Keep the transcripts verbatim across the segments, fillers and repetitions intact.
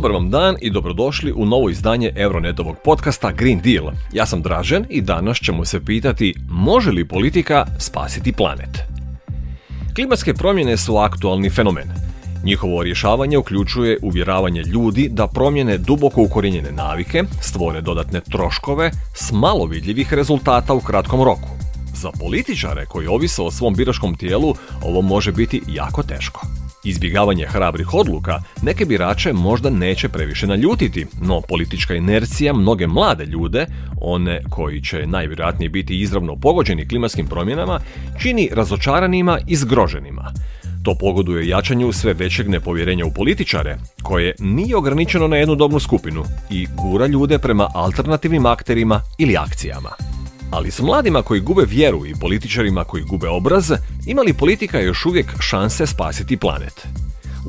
Dobar vam dan i dobrodošli u novo izdanje Euronetovog podcasta Green Deal. Ja sam Dražen i danas ćemo se pitati može li politika spasiti planet? Klimatske promjene su aktualni fenomen. Njihovo rješavanje uključuje uvjeravanje ljudi da promjene duboko ukorijenjene navike, stvore dodatne troškove s malo vidljivih rezultata u kratkom roku. Za političare koji ovise o svom biračkom tijelu ovo može biti jako teško. Izbjegavanje hrabrih odluka neke birače možda neće previše naljutiti, no politička inercija mnoge mlade ljude, one koji će najvjerojatnije biti izravno pogođeni klimatskim promjenama, čini razočaranima i zgroženima. To pogoduje jačanju sve većeg nepovjerenja u političare, koje nije ograničeno na jednu dobnu skupinu i gura ljude prema alternativnim akterima ili akcijama. Ali s mladima koji gube vjeru i političarima koji gube obraz, ima li politika još uvijek šanse spasiti planet?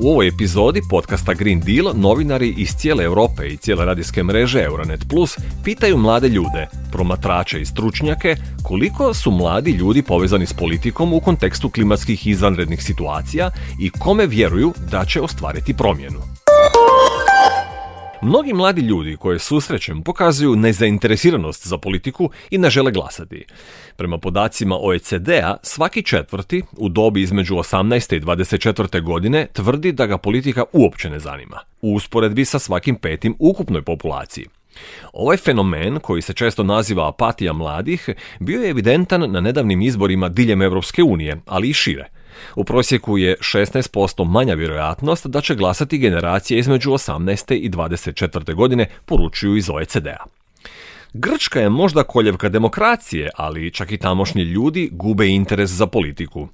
U ovoj epizodi podcasta Green Deal novinari iz cijele Europe i cijele radijske mreže Euronet Plus pitaju mlade ljude, promatrače i stručnjake, koliko su mladi ljudi povezani s politikom u kontekstu klimatskih izvanrednih situacija i kome vjeruju da će ostvariti promjenu. Mnogi mladi ljudi koje susrećem pokazuju nezainteresiranost za politiku i ne žele glasati. Prema podacima O E C D-a, svaki četvrti u dobi između osamnaeste i dvadeset četvrte godine tvrdi da ga politika uopće ne zanima, u usporedbi sa svakim petim ukupnoj populaciji. Ovaj fenomen, koji se često naziva apatija mladih, bio je evidentan na nedavnim izborima diljem Europske unije, ali i šire. U prosjeku je šesnaest posto manja vjerojatnost da će glasati generacije između osamnaeste i dvadeset četvrte godine, poručuju iz O E C D-a. Grčka je možda koljevka demokracije, ali čak i tamošnji ljudi gube interes za politiku.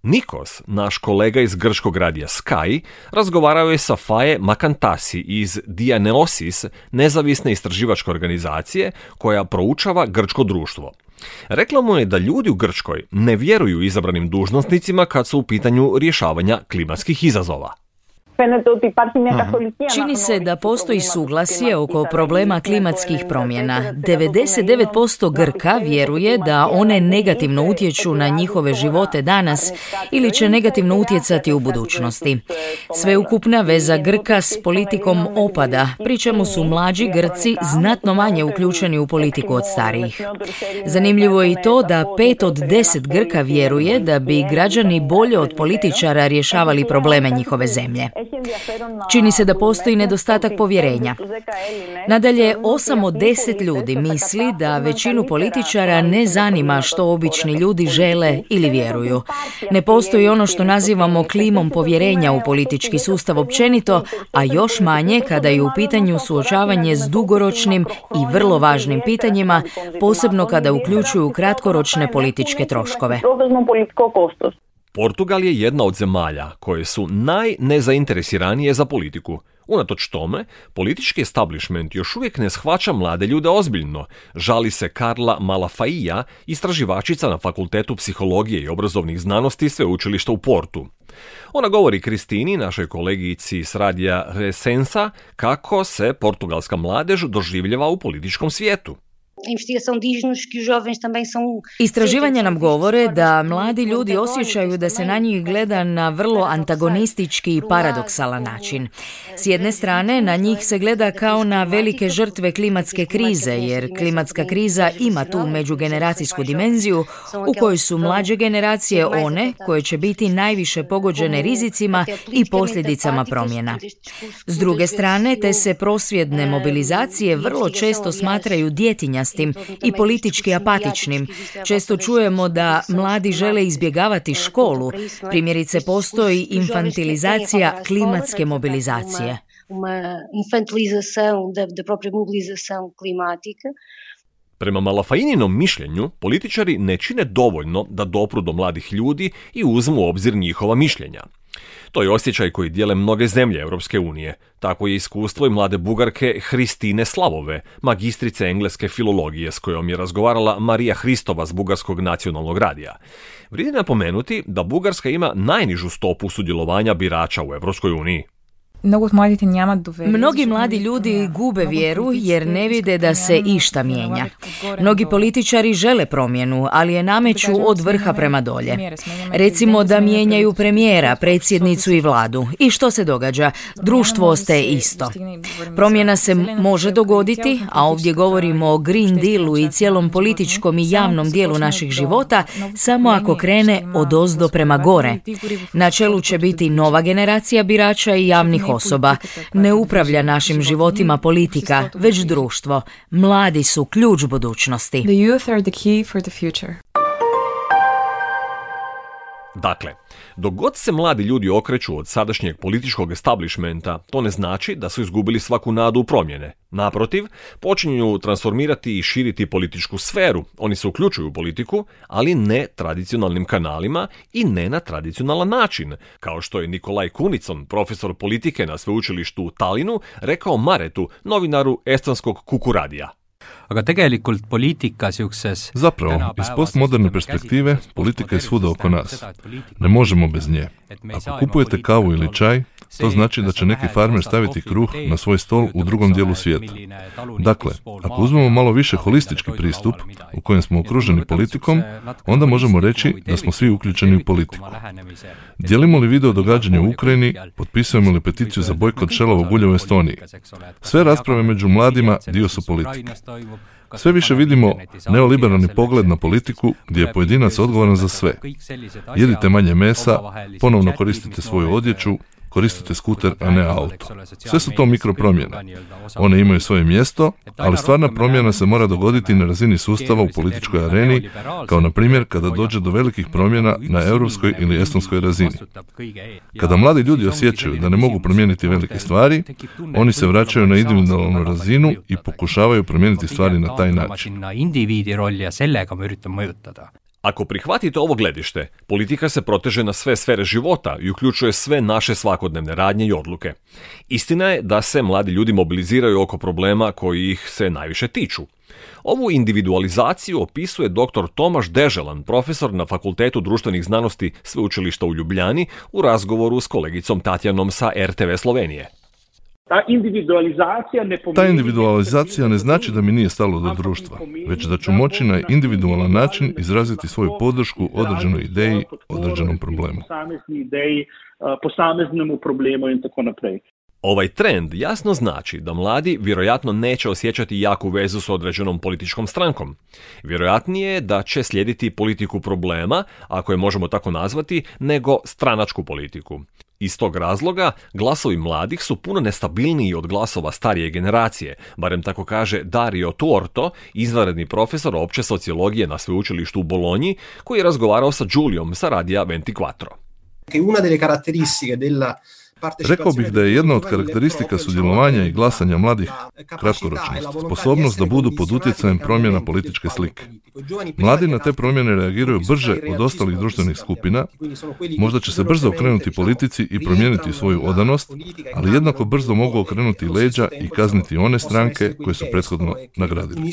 Nikos, naš kolega iz grčkog radija Sky, razgovarao je sa Faye Makantasi iz Dianeosis, nezavisne istraživačke organizacije koja proučava grčko društvo. Rekla mu je da ljudi u Grčkoj ne vjeruju izabranim dužnosnicima kad su u pitanju rješavanja klimatskih izazova. Čini se da postoji suglasje oko problema klimatskih promjena. devedeset devet posto Grka vjeruje da one negativno utječu na njihove živote danas ili će negativno utjecati u budućnosti. Sveukupna veza Grka s politikom opada, pri čemu su mlađi Grci znatno manje uključeni u politiku od starijih. Zanimljivo je i to da pet od deset Grka vjeruje da bi građani bolje od političara rješavali probleme njihove zemlje. Čini se da postoji nedostatak povjerenja. Nadalje, osam od deset ljudi misli da većinu političara ne zanima što obični ljudi žele ili vjeruju. Ne postoji ono što nazivamo klimom povjerenja u politički sustav općenito, a još manje kada je u pitanju suočavanje s dugoročnim i vrlo važnim pitanjima, posebno kada uključuju kratkoročne političke troškove. Portugal je jedna od zemalja koje su najnezainteresiranije za politiku. Unatoč tome, politički establishment još uvijek ne shvaća mlade ljude ozbiljno, žali se Carla Malafaia, istraživačica na Fakultetu psihologije i obrazovnih znanosti Sveučilišta u Portu. Ona govori Kristini, našoj kolegici s radija Resensa, kako se portugalska mladež doživljava u političkom svijetu. Istraživanja nam govore da mladi ljudi osjećaju da se na njih gleda na vrlo antagonistički i paradoksalan način. S jedne strane, na njih se gleda kao na velike žrtve klimatske krize, jer klimatska kriza ima tu međugeneracijsku dimenziju u kojoj su mlađe generacije one koje će biti najviše pogođene rizicima i posljedicama promjena. S druge strane, te se prosvjedne mobilizacije vrlo često smatraju djetinjastim i politički apatičnim. Često čujemo da mladi žele izbjegavati školu. Primjerice, postoji infantilizacija klimatske mobilizacije. Prema Malafaininom mišljenju, političari ne čine dovoljno da dopru do mladih ljudi i uzmu u obzir njihova mišljenja. To je osjećaj koji dijele mnoge zemlje Europske unije. Tako je iskustvo i mlade Bugarke Hristine Slavove, magistrice engleske filologije s kojom je razgovarala Marija Hristova s Bugarskog nacionalnog radija. Vrijedi napomenuti da Bugarska ima najnižu stopu sudjelovanja birača u Europskoj uniji. Mnogi mladi ljudi gube vjeru jer ne vide da se išta mijenja. Mnogi političari žele promjenu, ali je nameću od vrha prema dolje. Recimo da mijenjaju premijera, predsjednicu i vladu. I što se događa? Društvo ostaje isto. Promjena se može dogoditi, a ovdje govorimo o Green Dealu i cijelom političkom i javnom dijelu naših života, samo ako krene odozdo prema gore. Na čelu će biti nova generacija birača i javnih osoba. Ne upravlja našim životima politika, već društvo. Mladi su ključ budućnosti. Dakle, dok god se mladi ljudi okreću od sadašnjeg političkog establishmenta, to ne znači da su izgubili svaku nadu u promjene. Naprotiv, počinju transformirati i širiti političku sferu. Oni se uključuju u politiku, ali ne tradicionalnim kanalima i ne na tradicionalan način, kao što je Nikolaj Kunicon, profesor politike na sveučilištu u Tallinnu, rekao Maretu, novinaru estonskog Kuku radija. Zapravo, iz postmoderne perspektive, politika je svuda oko nas. Ne možemo bez nje. Ako kupujete kavu ili čaj, to znači da će neki farmer staviti kruh na svoj stol u drugom dijelu svijeta. Dakle, ako uzmemo malo više holistički pristup, u kojem smo okruženi politikom, onda možemo reći da smo svi uključeni u politiku. Dijelimo li video događanja u Ukrajini, potpisujemo li peticiju za bojkot šelovog ulja u Estoniji. Sve rasprave među mladima dio su politike. Sve više vidimo neoliberalni pogled na politiku gdje je pojedinac odgovoran za sve. Jedite manje mesa, ponovno koristite svoju odjeću, koristite skuter, a ne auto. Sve su to mikropromjene. One imaju svoje mjesto, ali stvarna promjena se mora dogoditi na razini sustava u političkoj areni, kao na primjer kada dođe do velikih promjena na europskoj ili estonskoj razini. Kada mladi ljudi osjećaju da ne mogu promijeniti velike stvari, oni se vraćaju na individualnu razinu i pokušavaju promijeniti stvari na taj način. Ako prihvatite ovo gledište, politika se proteže na sve sfere života i uključuje sve naše svakodnevne radnje i odluke. Istina je da se mladi ljudi mobiliziraju oko problema koji ih se najviše tiču. Ovu individualizaciju opisuje doktor Tomaš Deželan, profesor na Fakultetu društvenih znanosti Sveučilišta u Ljubljani, u razgovoru s kolegicom Tatjanom sa er te ve Slovenije. Ta individualizacija ne pomeni... Ta individualizacija ne znači da mi nije stalo do društva, već da ću moći na individualan način izraziti svoju podršku određenoj ideji, određenom problemu. Posameznemu problemu i tako naprej. Ovaj trend jasno znači da mladi vjerojatno neće osjećati jaku vezu s određenom političkom strankom. Vjerojatnije je da će slijediti politiku problema, ako je možemo tako nazvati, nego stranačku politiku. Iz tog razloga glasovi mladih su puno nestabilniji od glasova starije generacije, barem tako kaže Dario Tuorto, izvanredni profesor opće sociologije na sveučilištu u Bolonji, koji je razgovarao sa Giuliom sa Radija ventiquattro. Una delle caratteristiche della Rekao bih da je jedna od karakteristika sudjelovanja i glasanja mladih kratkoročnost, sposobnost da budu pod utjecajem promjena političke slike. Mladi na te promjene reagiraju brže od ostalih društvenih skupina, možda će se brzo okrenuti politici i promijeniti svoju odanost, ali jednako brzo mogu okrenuti leđa i kazniti one stranke koje su prethodno nagradili.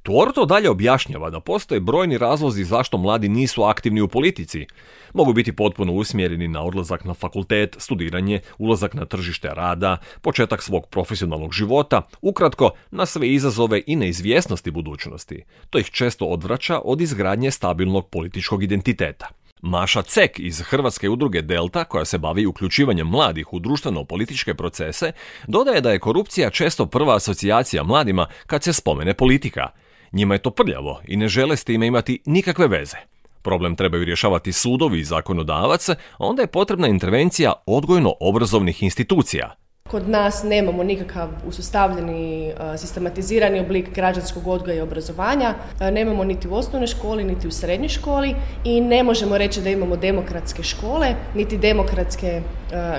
Tuorto dalje objašnjava da postoje brojni razlozi zašto mladi nisu aktivni u politici. Mogu biti potpuno usmjereni na odlazak na fakultet, studiranje, ulazak na tržište rada, početak svog profesionalnog života, ukratko na sve izazove i neizvjesnosti budućnosti. To ih često odvraća od izgradnje stabilnog političkog identiteta. Maša Cek iz Hrvatske udruge Delta, koja se bavi uključivanjem mladih u društveno-političke procese, dodaje da je korupcija često prva asocijacija mladima kad se spomene politika. Njima je to prljavo i ne žele s time imati nikakve veze. Problem trebaju rješavati sudovi i zakonodavac, a onda je potrebna intervencija odgojno-obrazovnih institucija. Kod nas nemamo nikakav usustavljeni, sistematizirani oblik građanskog odgoja i obrazovanja, nemamo niti u osnovnoj školi, niti u srednjoj školi i ne možemo reći da imamo demokratske škole, niti demokratske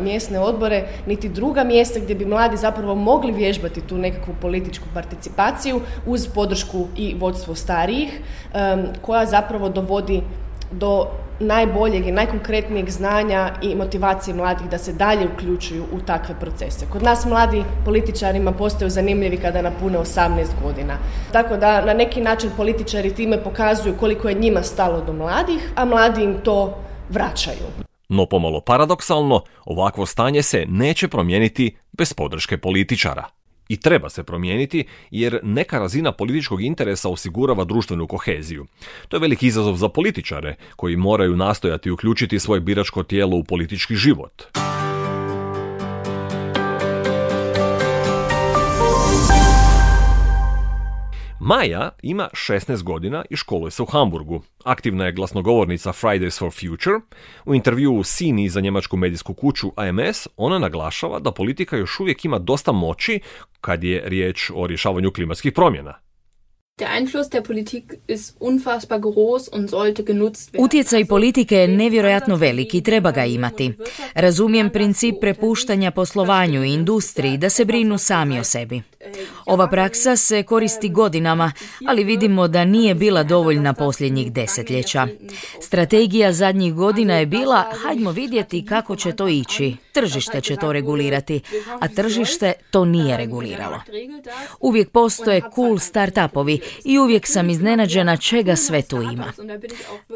mjesne odbore, niti druga mjesta gdje bi mladi zapravo mogli vježbati tu nekakvu političku participaciju uz podršku i vodstvo starijih, koja zapravo dovodi do najboljeg i najkonkretnijeg znanja i motivacije mladih da se dalje uključuju u takve procese. Kod nas mladi političarima postaju zanimljivi kada napune osamnaest godina. Tako da na neki način političari time pokazuju koliko je njima stalo do mladih, a mladi im to vraćaju. No pomalo paradoksalno, ovakvo stanje se neće promijeniti bez podrške političara. I treba se promijeniti jer neka razina političkog interesa osigurava društvenu koheziju. To je veliki izazov za političare koji moraju nastojati uključiti svoje biračko tijelo u politički život. Maja ima šesnaest godina i školuje se u Hamburgu. Aktivna je glasnogovornica Fridays for Future. U intervjuu Sini za njemačku medijsku kuću A M S ona naglašava da politika još uvijek ima dosta moći kad je riječ o rješavanju klimatskih promjena. Der Einfluss der Politik ist unfassbar groß und sollte genutzt werden. Utjecaj politike je nevjerojatno velik i treba ga imati. Razumijem princip prepuštanja poslovanju i industriji da se brinu sami o sebi. Ova praksa se koristi godinama, ali vidimo da nije bila dovoljna posljednjih desetljeća. Strategija zadnjih godina je bila, hajdmo vidjeti kako će to ići. Tržište će to regulirati, a tržište to nije reguliralo. Uvijek postoje cool start-upovi i uvijek sam iznenađena čega sve tu ima.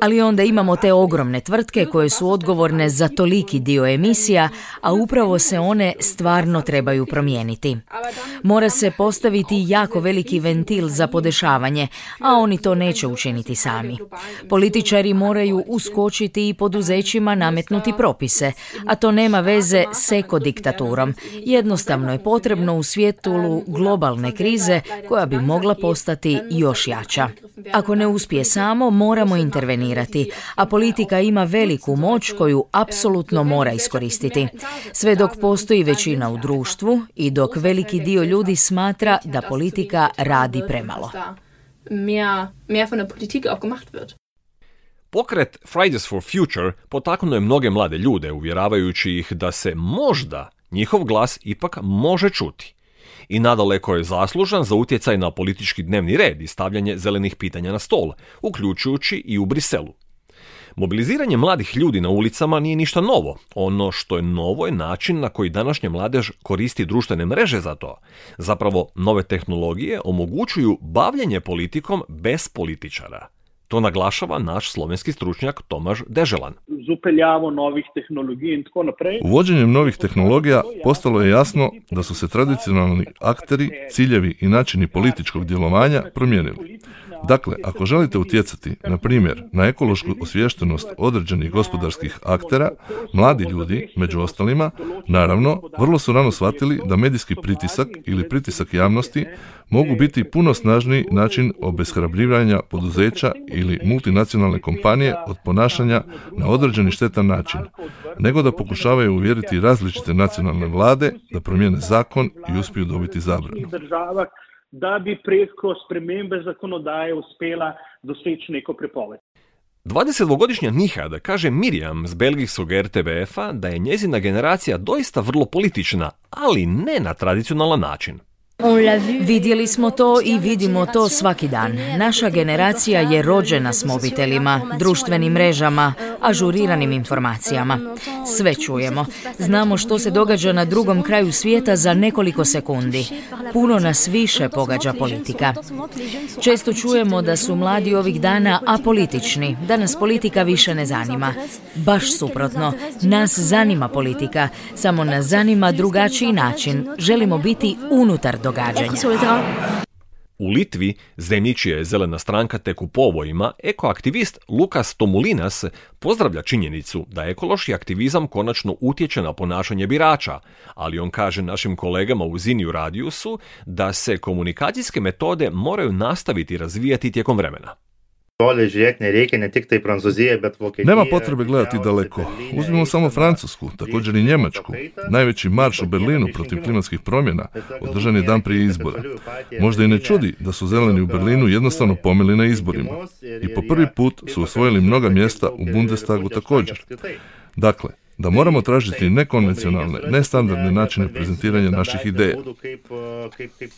Ali onda imamo te ogromne tvrtke koje su odgovorne za toliki dio emisija, a upravo se one stvarno trebaju promijeniti. Mora se postaviti jako veliki ventil za podešavanje, a oni to neće učiniti sami. Političari moraju uskočiti i poduzećima nametnuti propise, a to nema veze s ekodiktaturom. Jednostavno je potrebno u svijetu globalne krize koja bi mogla postati još jača. Ako ne uspije samo, moramo intervenirati, a politika ima veliku moć koju apsolutno mora iskoristiti. Sve dok postoji većina u društvu i dok veliki dio ljudi smatra da politika radi premalo. Pokret Fridays for Future potaknuo je mnoge mlade ljude, uvjeravajući ih da se možda njihov glas ipak može čuti. I nadaleko je zaslužan za utjecaj na politički dnevni red i stavljanje zelenih pitanja na stol, uključujući i u Briselu. Mobiliziranje mladih ljudi na ulicama nije ništa novo. Ono što je novo je način na koji današnja mladež koristi društvene mreže za to. Zapravo, nove tehnologije omogućuju bavljenje politikom bez političara. To naglašava naš slovenski stručnjak Tomaž Deželan. Uvođenjem novih tehnologija postalo je jasno da su se tradicionalni akteri, ciljevi i načini političkog djelovanja promijenili. Dakle, ako želite utjecati, na primjer, na ekološku osviještenost određenih gospodarskih aktera, mladi ljudi, među ostalima, naravno, vrlo su rano shvatili da medijski pritisak ili pritisak javnosti mogu biti puno snažniji način obeshrabrivanja poduzeća ili multinacionalne kompanije od ponašanja na određeni štetan način, nego da pokušavaju uvjeriti različite nacionalne vlade da promijene zakon i uspiju dobiti zabranu. Da bi preko spremembe zakonodaje uspela doseči neko prepoved. dvadesetdvogodišnja Nihad kaže Mirjam z belgijskog R T B F-a da je njezina generacija doista vrlo politična, ali ne na tradicionalan način. Vidjeli smo to i vidimo to svaki dan. Naša generacija je rođena s mobitelima, društvenim mrežama, ažuriranim informacijama. Sve čujemo. Znamo što se događa na drugom kraju svijeta za nekoliko sekundi. Puno nas više pogađa politika. Često čujemo da su mladi ovih dana apolitični, da nas politika više ne zanima. Baš suprotno, nas zanima politika, samo nas zanima drugačiji način. Želimo biti unutar događanja. U Litvi, zemlji čija je zelena stranka tek u povojima, ekoaktivist Lukas Tomulinas pozdravlja činjenicu da ekološki aktivizam konačno utječe na ponašanje birača, ali on kaže našim kolegama u Ziniju Radiusu da se komunikacijske metode moraju nastaviti razvijati tijekom vremena. Nema potrebe gledati daleko. Uzmimo samo Francusku, također i Njemačku. Najveći marš u Berlinu protiv klimatskih promjena održan je dan prije izbora. Možda i ne čudi da su zeleni u Berlinu jednostavno pomeli na izborima. I po prvi put su osvojili mnoga mjesta u Bundestagu također. Dakle, da moramo tražiti nekonvencionalne, nestandardne načine prezentiranja naših ideja.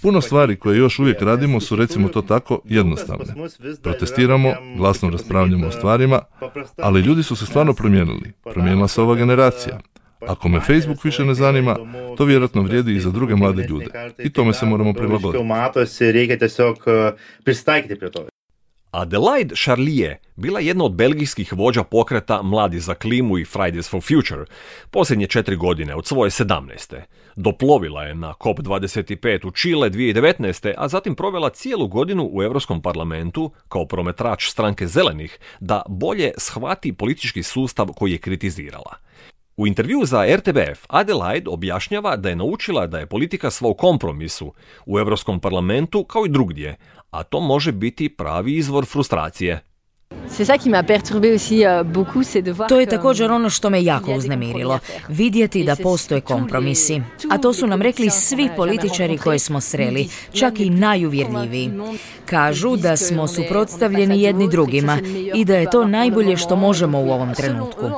Puno stvari koje još uvijek radimo su, recimo to tako, jednostavne. Protestiramo, glasno raspravljamo o stvarima, ali ljudi su se stvarno promijenili. Promijenila se ova generacija. Ako me Facebook više ne zanima, to vjerojatno vrijedi i za druge mlade ljude. I tome se moramo prilagoditi. Adelaide Charlier bila je jedna od belgijskih vođa pokreta Mladi za klimu i Fridays for Future posljednje četiri godine od svoje sedamnaeste. Doplovila je na COP dvadeset pet u Čile dvije tisuće devetnaeste, a zatim provela cijelu godinu u Europskom parlamentu kao promatrač stranke Zelenih da bolje shvati politički sustav koji je kritizirala. U intervju za R T B F Adelaide objašnjava da je naučila da je politika sva u kompromisu u Europskom parlamentu kao i drugdje, a to može biti pravi izvor frustracije. To je također ono što me jako uznemirilo, vidjeti da postoje kompromisi. A to su nam rekli svi političari koje smo sreli, čak i najuvjerljiviji. Kažu da smo suprotstavljeni jedni drugima i da je to najbolje što možemo u ovom trenutku.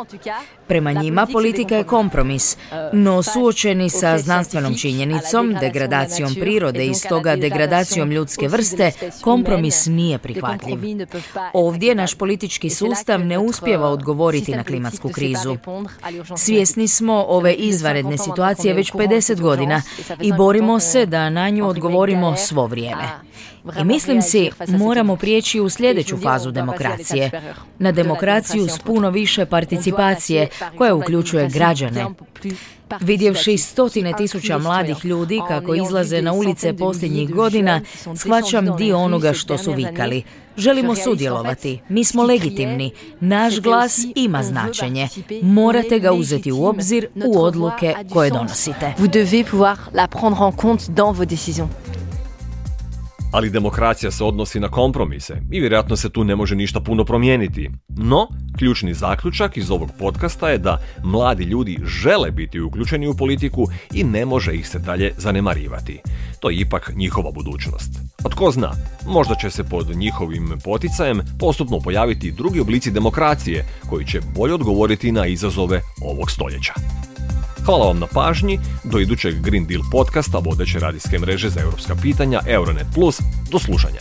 Prema njima politika je kompromis, no suočeni sa znanstvenom činjenicom, degradacijom prirode i stoga degradacijom ljudske vrste, kompromis nije prihvatljiv. Ovdje naš politički sustav ne uspijeva odgovoriti na klimatsku krizu. Svjesni smo ove izvanredne situacije već pedeset godina i borimo se da na nju odgovorimo svo vrijeme. I mislim si, moramo prijeći u sljedeću fazu demokracije. Na demokraciju s puno više participacije koja uključuje građane. Vidjevši stotine tisuća mladih ljudi kako izlaze na ulice posljednjih godina, shvaćam dio onoga što su vikali. Želimo sudjelovati, mi smo legitimni, naš glas ima značenje. Morate ga uzeti u obzir u odluke koje donosite. Ali demokracija se odnosi na kompromise i vjerojatno se tu ne može ništa puno promijeniti. No, ključni zaključak iz ovog podcasta je da mladi ljudi žele biti uključeni u politiku i ne može ih se dalje zanemarivati. To je ipak njihova budućnost. A tko zna, možda će se pod njihovim poticajem postupno pojaviti drugi oblici demokracije koji će bolje odgovoriti na izazove ovog stoljeća. Hvala vam na pažnji, do idućeg Green Deal podcasta vodeće radijske mreže za europska pitanja Euronet Plus, do slušanja.